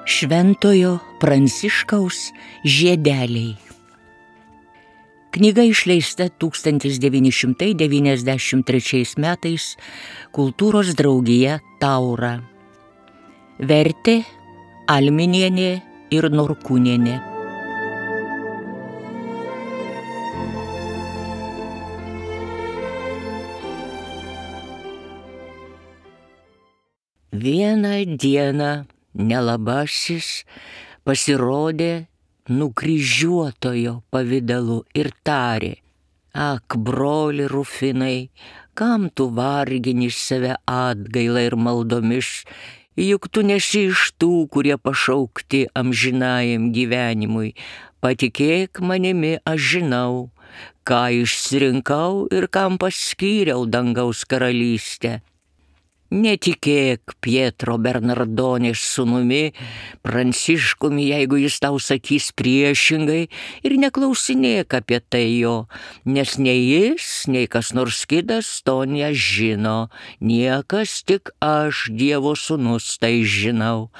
Šventojo Pranciškaus žiedeliai. Knyga išleista 1993 metais Kultūros draugija Taura. Vertė Alminienė ir Norkūnienė. Vieną dieną nelabasis pasirodė nukryžiuotojo pavidalu ir tarė: Ak, broli Rufinai, kam tu vargini save atgaila ir maldomis, juk tu nesi iš tų, kurie pašaukti amžinajam gyvenimui. Patikėk manimi, aš žinau, ką išsirinkau ir kam paskyriau dangaus karalystę. Netikėk Pietro Bernardonės sūnumi, Pranciškumi, jeigu jis tau sakys priešingai, ir neklausinėk apie tai jo, nes nei jis, nei kas nors kitas to nežino, niekas tik aš, Dievo sūnus, tai žinau.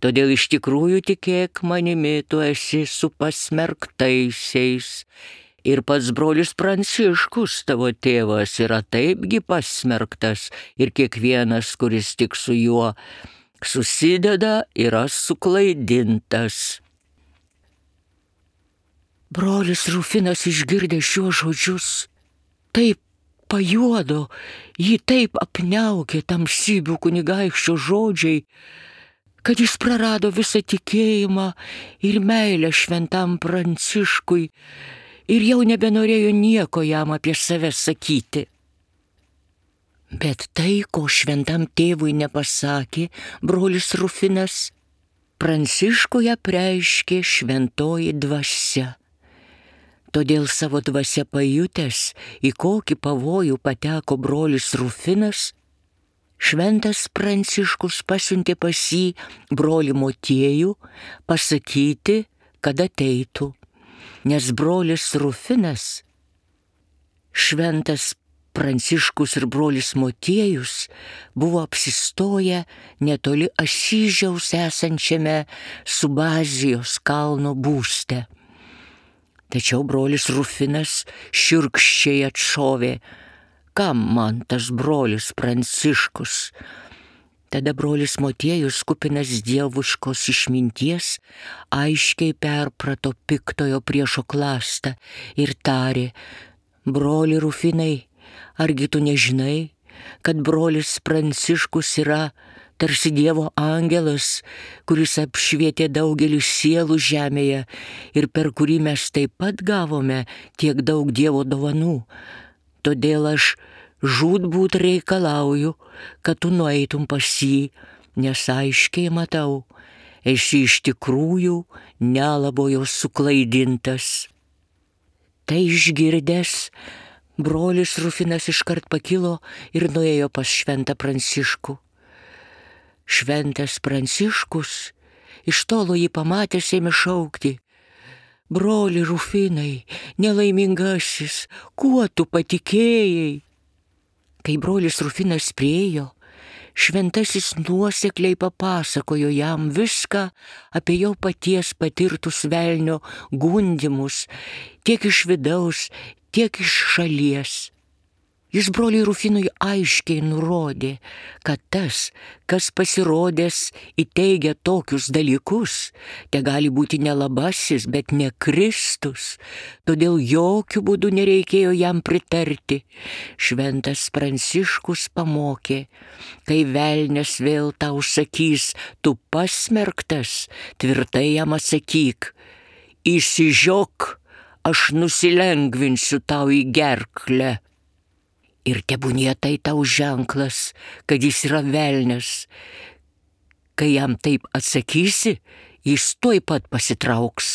Todėl iš tikrųjų tikėk manimi, tu esi su pasmerktaisiais. Ir pats brolis Pranciškus, tavo tėvas, yra taipgi pasmerktas, ir kiekvienas, kuris tik su juo susideda, yra suklaidintas. Brolis Rufinas išgirdęs šiuos žodžius taip pajuodo, jį taip apniaukė tamsybių kunigaikščio žodžiai, kad jis prarado visą tikėjimą ir meilę šventam Pranciškui, ir jau nebenorėjo nieko jam apie save sakyti. Bet tai, ko šventam tėvui nepasakė brolis Rufinas, Pranciškui apreiškė šventoji dvasia. Todėl savo dvasia pajutęs, į kokį pavojų pateko brolis Rufinas, šventas Pranciškus pasiuntė pas jį brolį Motiejų pasakyti, kad ateitų. Nes brolis Rufinas, šventas Pranciškus ir brolis Motiejus buvo apsistoję netoli Asyžiaus esančiame Subazijos kalno būste. Tačiau brolis Rufinas šiurkščiai atšovė: kam man tas brolis Pranciškus? Tada brolis Motiejus, kupinas dievuškos išminties, aiškiai perprato piktojo priešo klastą ir tarė: broli Rufinai, argi tu nežinai, kad brolis Pranciškus yra tarsi Dievo angelas, kuris apšvietė daugelį sielų žemėje ir per kurį mes taip pat gavome tiek daug Dievo dovanų. Todėl aš žūtbūt reikalauju, kad tu nueitum pas jį, nes aiškiai matau, esi iš tikrųjų nelabojo suklaidintas. Tai išgirdęs, brolis Rufinas iškart pakilo ir nuėjo pas šventą Pranciškų. Šventas Pranciškus iš tolo jį pamatęs ėmė šaukti: broli Rufinai, nelaimingasis, kuo tu patikėjai? Kai brolis Rufinas priėjo, šventasis nuosekliai papasakojo jam viską apie jo paties patirtus velnio gundymus, tiek iš vidaus, tiek iš šalies. Jis broliui Rufinui aiškiai nurodė, kad tas, kas pasirodęs įteigia tokius dalykus, te gali būti nelabasis, bet ne Kristus, todėl jokių būdų nereikėjo jam pritarti. Šventas Pranciškus pamokė: kai velnias vėl tau sakys, tu pasmerktas, tvirtai jam atsakyk: išsižiok, aš nusilengvinsiu tau į gerklę. Ir tebūnie tai tau ženklas, kad jis yra velnias. Kai jam taip atsakysi, jis tuoj pat pasitrauks.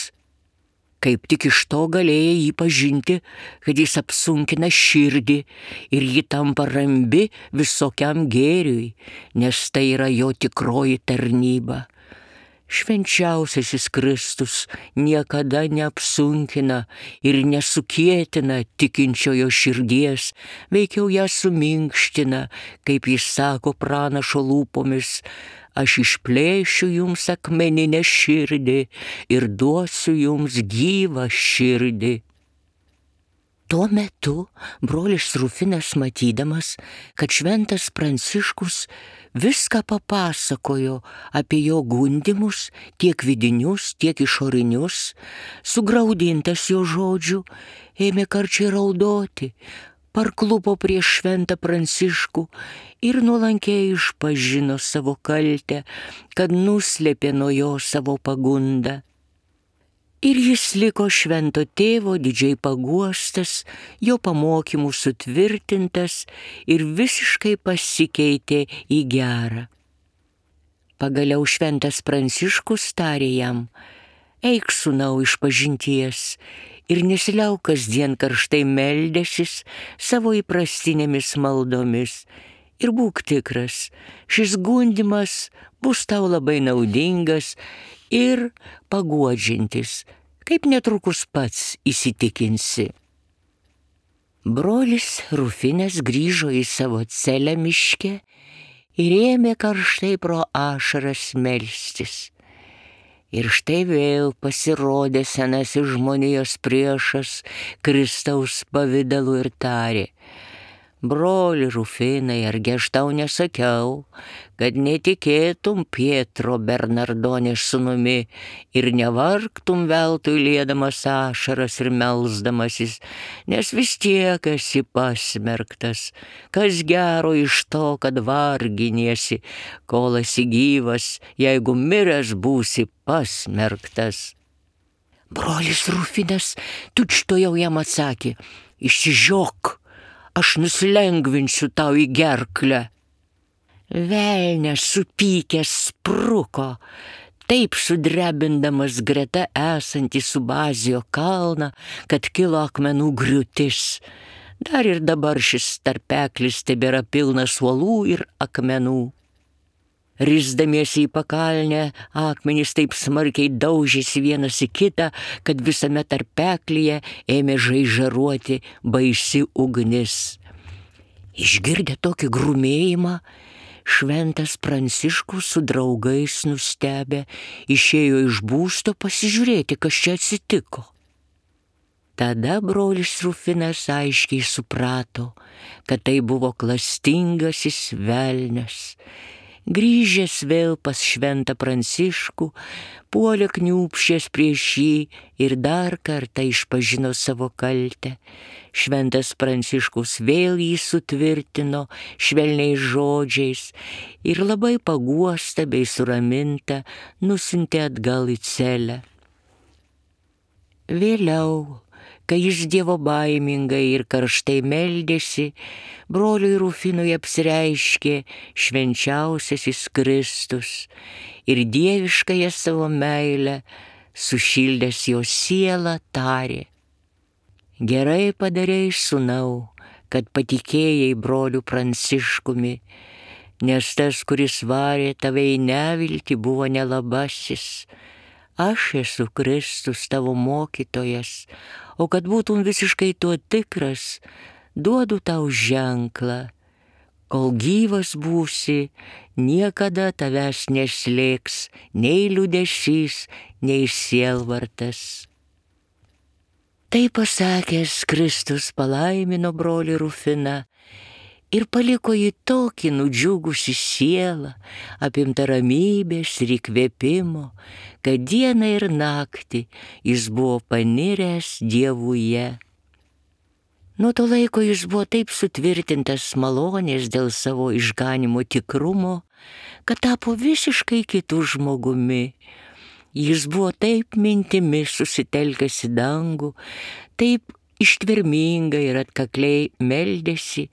Kaip tik iš to galėjai jį pažinti, kad jis apsunkina širdį ir ji tampa rambi visokiam gėriui, nes tai yra jo tikroji tarnyba. Švenčiausiasis Kristus niekada neapsunkina ir nesukėtina tikinčiojo širdies, veikiau ją suminkština, kaip jis sako pranašo lūpomis: aš išplėšiu jums akmeninę širdį ir duosiu jums gyvą širdį. Tuo metu brolis Rufinas, matydamas, kad šventas Pranciškus viską papasakojo apie jo gundymus, tiek vidinius, tiek išorinius, sugraudintas jo žodžių, ėmė karčiai raudoti, parklupo prieš šventą Pranciškų ir nuolankiai išpažino savo kaltę, kad nuslėpė nuo jo savo pagundą. Ir jis liko švento tėvo didžiai paguostas, jo pamokymų sutvirtintas ir visiškai pasikeitė į gerą. Pagaliau šventas Pranciškus tarė jam: eik, sūnau, išpažinties ir nesiliauk kasdien karštai meldęsis savo įprastinėmis maldomis. Ir būk tikras, šis gundymas bus tau labai naudingas ir paguodžiantis, kaip netrukus pats įsitikinsi. Brolis Rufinas grįžo į savo celę miške ir ėmė karštai pro ašaras melstis. Ir štai vėl pasirodė senasis žmonijos priešas Kristaus pavidalu ir tarė: broli Rufinai, argi aš tau nesakiau, kad netikėtum Pietro Bernardonės sūnumi ir nevargtum veltui liedamas ašaras ir melsdamasis, nes vis tiek esi pasmerktas. Kas gero iš to, kad varginiesi, kol esi gyvas, jeigu miręs būsi pasmerktas. Brolis Rufinas tučtuojau jam atsakė: išsižiok, aš nusilengvinsiu tau į gerklę. Velnias supykęs spruko, taip sudrebindamas greta esantį Subazijo kalną, kad kilo akmenų griūtis. Dar ir dabar šis tarpeklis tebėra pilnas uolų ir akmenų. Risdamiesi į pakalnę, akmenys taip smarkiai daužėsi vienas į kitą, kad visame tarpeklyje ėmė žaižaruoti baisi ugnis. Išgirdę tokį grumėjimą, šventas Pranciškus su draugais nustebę išėjo iš būsto pasižiūrėti, kas čia atsitiko. Tada brolis Rufinas aiškiai suprato, kad tai buvo klastingasis velnias. Grįžęs vėl pas šventą Pranciškų, puolė kniūbsčias prieš jį ir dar kartą išpažino savo kaltę. Šventas Pranciškus vėl jį sutvirtino švelniais žodžiais ir labai paguostą bei suramintą nusiuntė atgal į celę. Vėliau, kai jis dievobaimingai ir karštai meldėsi, broliui Rufinui apsireiškė švenčiausiasis Kristus ir dieviškąją savo meilę sušildęs jo sielą tarė: gerai padarei, sūnau, kad patikėjai broliu Pranciškumi, nes tas, kuris varė tave į neviltį, buvo nelabasis. Aš esu Kristus, tavo mokytojas, o kad būtum visiškai tuo tikras, duodu tau ženklą. Kol gyvas būsi, niekada tavęs neslėgs nei liūdesys, nei sielvartas. Tai pasakęs, Kristus palaimino brolį Rufiną ir paliko jį tokį nudžiugusį sielą, apimtą ramybės ir įkvėpimo, kad dieną ir naktį jis buvo paniręs Dievuje. Nuo to laiko jis buvo taip sutvirtintas malonės dėl savo išganimo tikrumo, kad tapo visiškai kitų žmogumi. Jis buvo taip mintimis susitelkęs į dangų, taip ištvermingai ir atkakliai meldėsi,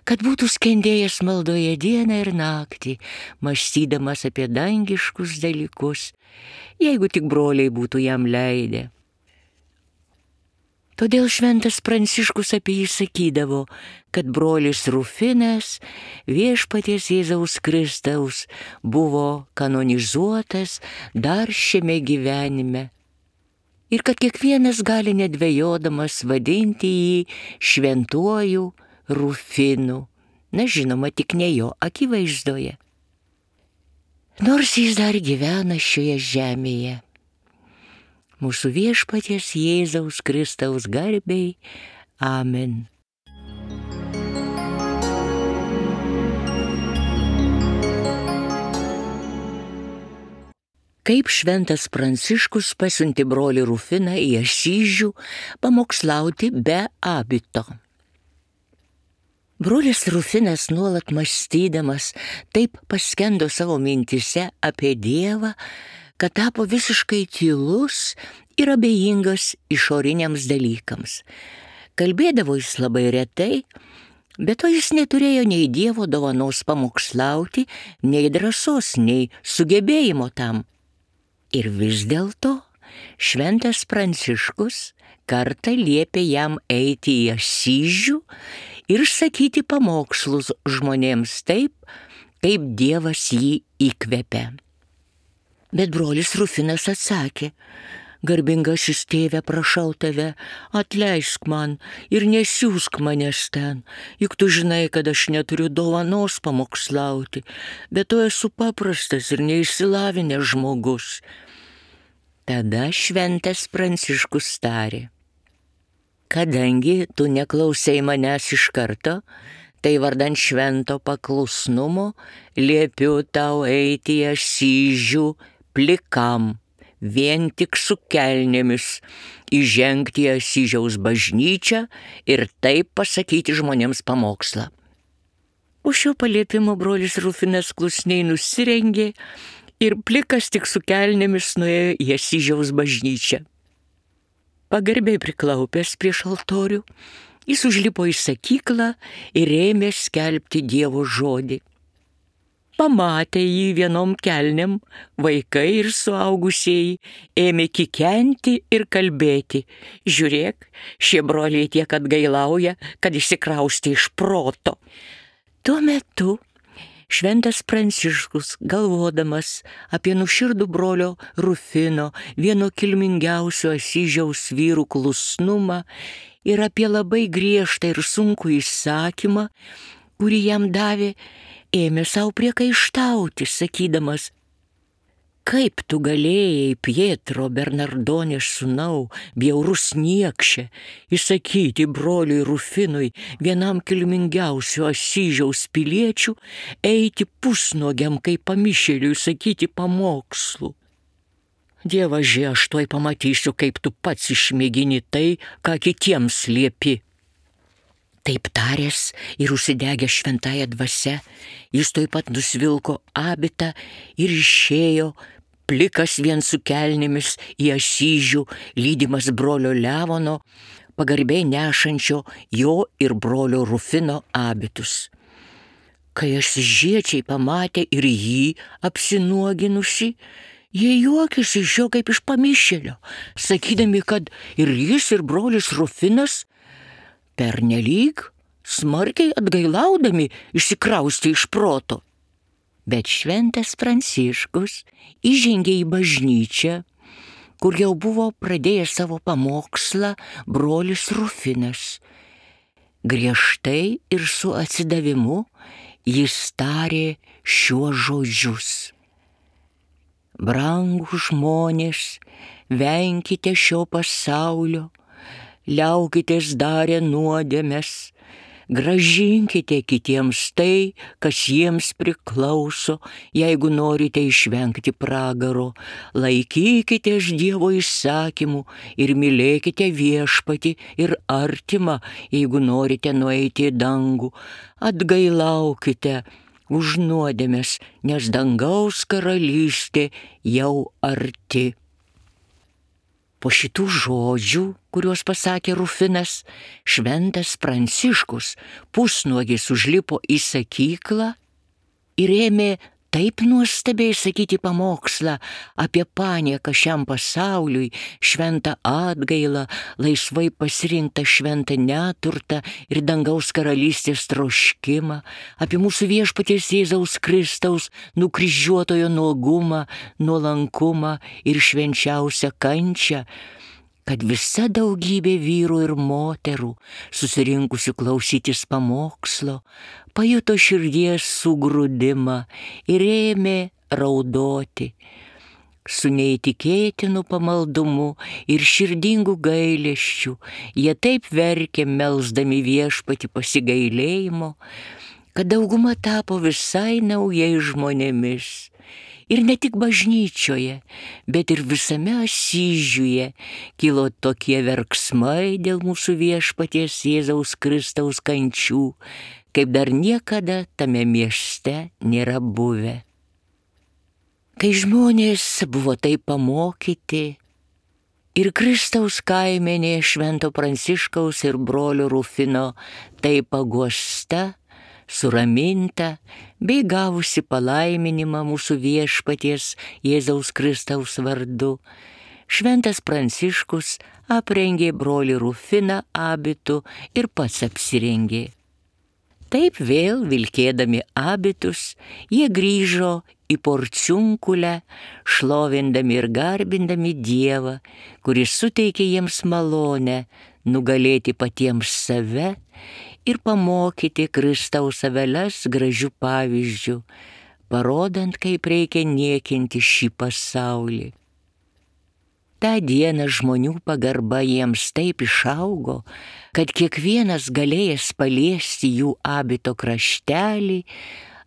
kad būtų skendėjęs maldoje dieną ir naktį, mąstydamas apie dangiškus dalykus, jeigu tik broliai būtų jam leidę. Todėl šventas Pranciškus apie jį sakydavo, kad brolis Rufinas viešpaties Jėzaus Kristaus buvo kanonizuotas dar šiame gyvenime ir kad kiekvienas gali nedvejodamas vadinti jį šventuoju Rufinu, na žinoma, tik ne jo akivaizdoje. Nors jis dar gyvena šioje žemėje. Mūsų viešpaties Jėzaus Kristaus garbei. Amen. Kaip šventas Pranciškus pasiuntė brolį Rufiną į Asyžių pamokslauti be abito. Brolis Rufinas nuolat mąstydamas taip paskendo savo mintise apie Dievą, kad tapo visiškai tylus ir abejingas išoriniams dalykams. Kalbėdavo jis labai retai, bet to jis neturėjo nei Dievo dovanos pamokslauti, nei drąsos, nei sugebėjimo tam. Ir vis dėlto šventas Pranciškus kartą liepė jam eiti į Asyžių ir sakyti pamokslus žmonėms taip, kaip Dievas jį įkvepia. Bet brolis Rufinas atsakė: garbingasis tėve, prašau tave, atleisk man ir nesiųsk manęs ten, juk tu žinai, kad aš neturiu dovanos pamokslauti, bet to esu paprastas ir neišsilavinęs žmogus. Tada šventas Pranciškus tarė: kadangi tu neklausai manęs iš karto, tai vardan švento paklusnumo liepiu tau eiti į Asyžių plikam, vien tik su kelnėmis, įžengti į Asyžiaus bažnyčią ir taip pasakyti žmonėms pamokslą. Po šio paliepimo brolis Rufinas klusniai nusirengė ir plikas tik su kelnėmis nuėjo į Asyžiaus bažnyčią. Pagarbiai priklaupęs prieš altorių, jis užlipo į sakyklą ir ėmė skelbti Dievo žodį. Pamatę jį vienom kelnėm, vaikai ir suaugusieji ėmė kikenti ir kalbėti: žiūrėk, šie broliai tiek atgailauja, kad išsikraustė iš proto. Tuo metu šventas Pranciškus, galvodamas apie nuoširdų brolio Rufino, vieno kilmingiausių Asyžiaus vyrų klusnumą ir apie labai griežtą ir sunkų įsakymą, kurį jam davė, ėmė savo priekaištauti, sakydamas: kaip tu galėjai, Pietro Bernardonės sūnau, bjaurus niekše, įsakyti broliui Rufinui, vienam kilmingiausių Asyžiaus piliečių, eiti pusnuogiam kaip pamišėliui sakyti pamokslų. Dievaži, aš tuoj pamatysiu, kaip tu pats išmėgini tai, ką kitiems liepi. Taip taręs ir užsidegęs šventąja dvasia, jis tuoj pat nusvilko abitą ir išėjo, plikas vien su kelnėmis, į Asyžių, lydimas brolio Levono, pagarbiai nešančio jo ir brolio Rufino abitus. Kai asyžiečiai pamatė ir jį apsinuoginusi, jie juokėsi iš jo kaip iš pamišėlio, sakydami, kad ir jis, ir brolis Rufinas pernelyg smarkiai atgailaudami išsikraustė iš proto. Bet šventas Pranciškus įžengė į bažnyčią, kur jau buvo pradėjęs savo pamokslą brolis Rufinas. Griežtai ir su atsidavimu jis tarė šiuos žodžius: brangūs žmonės, venkite šio pasaulio, liaukitės darę nuodėmes, grąžinkite kitiems tai, kas jiems priklauso, jeigu norite išvengti pragaro, laikykitės Dievo įsakymų ir mylėkite viešpatį ir artimą, jeigu norite nueiti į dangų, atgailaukite už nuodėmes, nes dangaus karalystė jau arti. Po šitų žodžių, kuriuos pasakė Rufinas, šventas Pranciškus pusnuogis užlipo į sakyklą ir ėmė taip nuostabiai sakyti pamokslą apie panieką šiam pasauliui, šventą atgailą, laisvai pasirinktą šventą neturtą ir dangaus karalystės troškimą, apie mūsų viešpaties Jėzaus Kristaus nukryžiuotojo nuogumą, nuolankumą ir švenčiausią kančią, kad visa daugybė vyrų ir moterų, susirinkusių klausytis pamokslo, pajuto širdies sugrūdimą ir ėmė raudoti. Su neįtikėtinu pamaldumu ir širdingu gailesčiu jie taip verkė, melsdami viešpatį pasigailėjimo, kad dauguma tapo visai naujais žmonėmis. Ir ne tik bažnyčioje, bet ir visame Asyžiuje kilo tokie verksmai dėl mūsų viešpaties Jėzaus Kristaus kančių, kaip dar niekada tame mieste nėra buvę. Kai žmonės buvo taip pamokyti ir Kristaus kaimenė Švento Pranciškaus ir brolio Rufino taip paguosta, suraminta, bei gavusi palaiminimą mūsų viešpaties Jėzaus Kristaus vardu, Šventas Pranciškus aprengė brolį Rufiną abitu ir pats apsirengė. Taip vėl vilkėdami abitus, jie grįžo į Porciunkulę, šlovindami ir garbindami Dievą, kuris suteikė jiems malonę nugalėti patiems save ir pamokyti Kristaus aveles gražių pavyzdžių, parodant, kaip reikia niekinti šį pasaulį. Ta diena žmonių pagarba jiems taip išaugo, kad kiekvienas galėjęs paliesti jų abito kraštelį,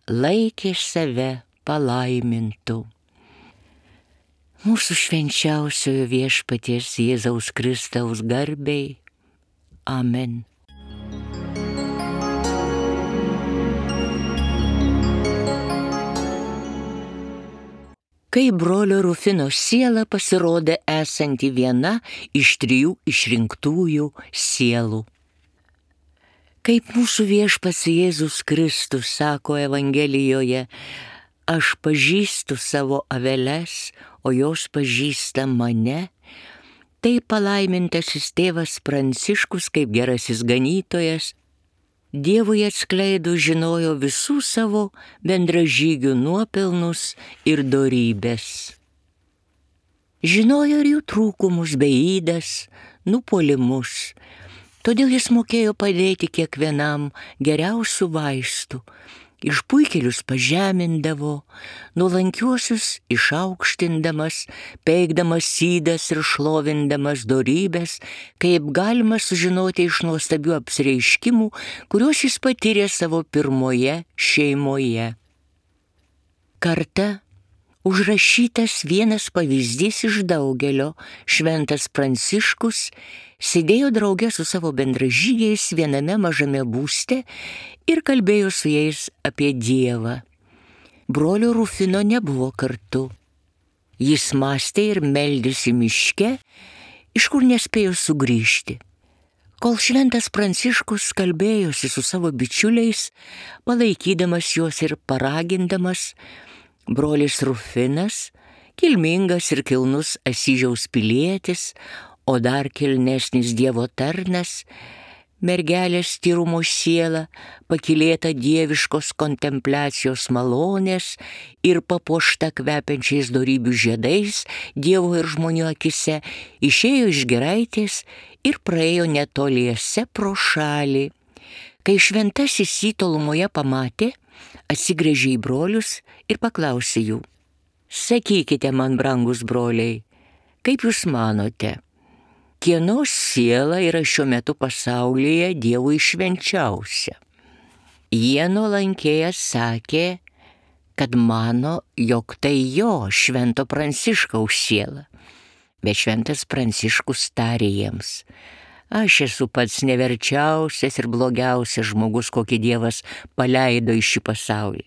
laikė save palaimintu. Mūsų švenčiausiojo viešpaties Jėzaus Kristaus garbei. Amen. Kai brolio Rufino siela pasirodė esanti viena iš 3 išrinktųjų sielų. Kaip mūsų viešpats Jėzus Kristus sako Evangelijoje, aš pažįstu savo aveles, o jos pažįsta mane, tai palaimintasis tėvas Pranciškus kaip gerasis ganytojas Dievui atskleidus žinojo visų savo bendražygių nuopelnus ir dorybės. Žinojo ir jų trūkumus bei ydas, nupuolimus, todėl jis mokėjo padėti kiekvienam geriausių vaistų, išpuikėlius pažemindavo, nuolankiuosius išaukštindamas, peikdamas ydas ir šlovindamas dorybės, kaip galima sužinoti iš nuostabių apsireiškimų, kuriuos jis patyrė savo pirmoje šeimoje. Kartą užrašytas vienas pavyzdys iš daugelio, Šventas Pranciškus sėdėjo drauge su savo bendražygiais viename mažame būste ir kalbėjo su jais apie Dievą. Brolio Rufino nebuvo kartu. Jis mąstė ir meldėsi miške, iš kur nespėjo sugrįžti. Kol Šventas Pranciškus kalbėjosi su savo bičiuliais, palaikydamas juos ir paragindamas, brolis Rufinas, kilmingas ir kilnus Asyžiaus pilietis, o dar kilnesnis Dievo tarnas, mergelės tyrumo siela, pakylėta dieviškos kontempliacijos malonės ir papuošta kvepiančiais dorybių žiedais Dievo ir žmonių akise, išėjo iš giraitės ir praėjo netoliese pro šalį. Kai šventasis jį tolumoje pamatė, atsigręžė į brolius ir paklausė jų: sakykite man, brangus broliai, kaip jūs manote, kieno siela yra šiuo metu pasaulyje Dievui švenčiausia? Jie nuolankiai atsakė, kad mano, jog tai jo, Švento Pranciškaus siela. Bet Šventas Pranciškus tarė jiems: aš esu pats neverčiausias ir blogiausias žmogus, kokį Dievas paleido į šį pasaulį.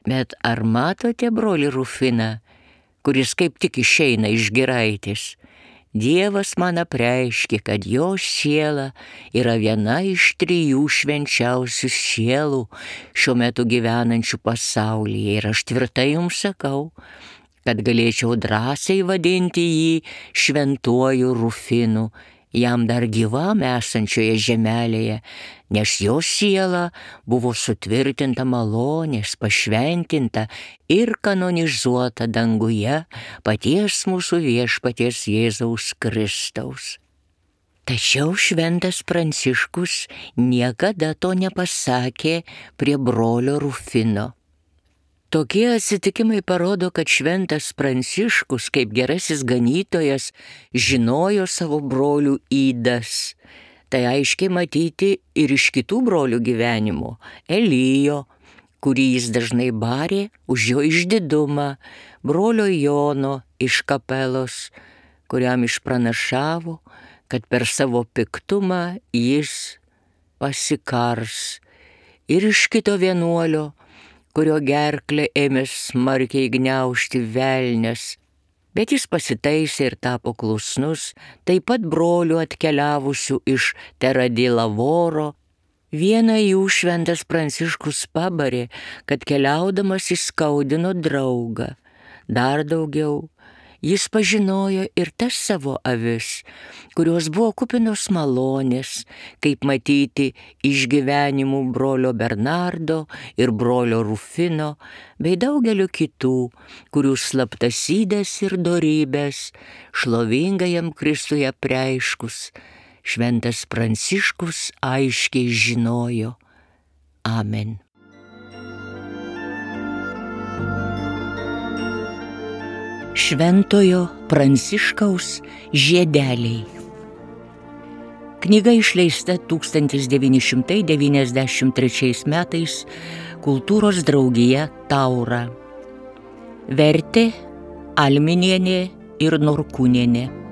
Bet ar matote brolį Rufiną, kuris kaip tik išeina iš giraitės? Dievas man apreiškė, kad jo siela yra viena iš 3 švenčiausių sielų šiuo metu gyvenančių pasaulyje. Ir aš tvirtai jums sakau, kad galėčiau drąsiai vadinti jį šventuoju Rufinu, jam dar gyvam esančioje žemelėje, nes jo siela buvo sutvirtinta malonės, pašventinta ir kanonizuota danguje paties mūsų viešpaties Jėzaus Kristaus. Tačiau šventas Pranciškus niekada to nepasakė prie brolio Rufino. Tokie atsitikimai parodo, kad šventas Pranciškus, kaip gerasis ganytojas, žinojo savo brolių ydas. Tai aiškiai matyti ir iš kitų brolių gyvenimo. Elijo, kurį jis dažnai barė už jo išdidumą, brolio Jono iš Kapelos, kuriam išpranašavo, kad per savo piktumą jis pasikars, ir iš kito vienuolio, kurio gerklę ėmė smarkiai gniaužti velnias, bet jis pasitaisė ir tapo klusnus, taip pat brolių atkeliavusių iš Teradilavoro. Vieną jų šventas Pranciškus pabarė, kad keliaudamas įskaudino draugą. Dar daugiau, jis pažinojo ir tas savo avis, kurios buvo kupinos malonės, kaip matyti iš gyvenimų brolio Bernardo ir brolio Rufino, bei daugelio kitų, kurių slaptas ydas ir dorybės šlovingajam Kristuje apreiškus, šventas Pranciškus aiškiai žinojo. Amen. Šventojo Pranciškaus žiedeliai. Knyga išleista 1993 metais Kultūros draugija Taura. Vertė Alminienė ir Norkūnienė.